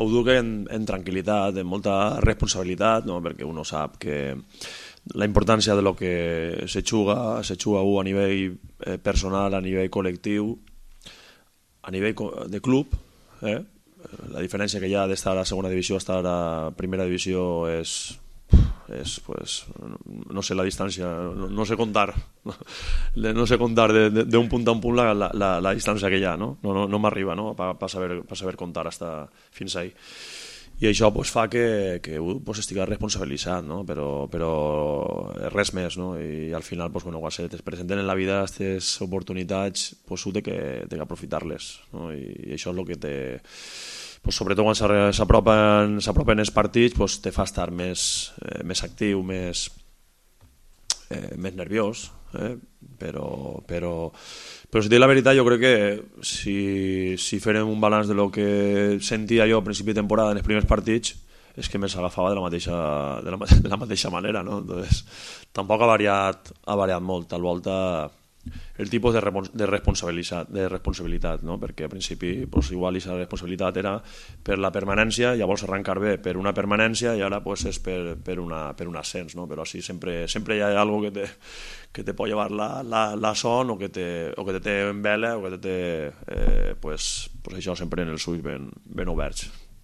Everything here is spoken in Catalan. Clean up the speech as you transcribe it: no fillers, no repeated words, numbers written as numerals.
ho duc en tranquil·litat, en molta responsabilitat, no? Perquè uno sap que la importància de lo que se juga a nivell personal, a nivell col·lectiu, a nivell de club, la diferència que hi ha d'estar a la segona divisió a estar a primera divisió és pues, no sé la distància, no sé contar d'un punt a un punt la distància que hi ha, no m'arriba, no? per saber contar hasta fins ahí. I això pues, fa que pues, estigui responsabilitzat, no? però res més, no? I al final pues, quan es presenten en la vida aquestes oportunitats pues, tu té que aprofitar-les, no? I això és el que té, pues, sobretot quan s'apropen els partits pues, te fa estar més actiu, més nerviós, però si dic la veritat, jo crec que si farem un balanç de lo que sentia jo a principi de temporada en els primers partits és que me s'agafava de la mateixa manera, no? Entonces, tampoc ha variat molt, tal volta el tipus de responsabilitat, no? Perquè al principi pues, igual aquesta responsabilitat era per la permanència, llavors arrencar bé per una permanència i ara pues, és per un ascens, no? Però sí, sempre hi ha algo que te pot llevar la son o que te té en vela o que te té pues això sempre en els ulls ben oberts.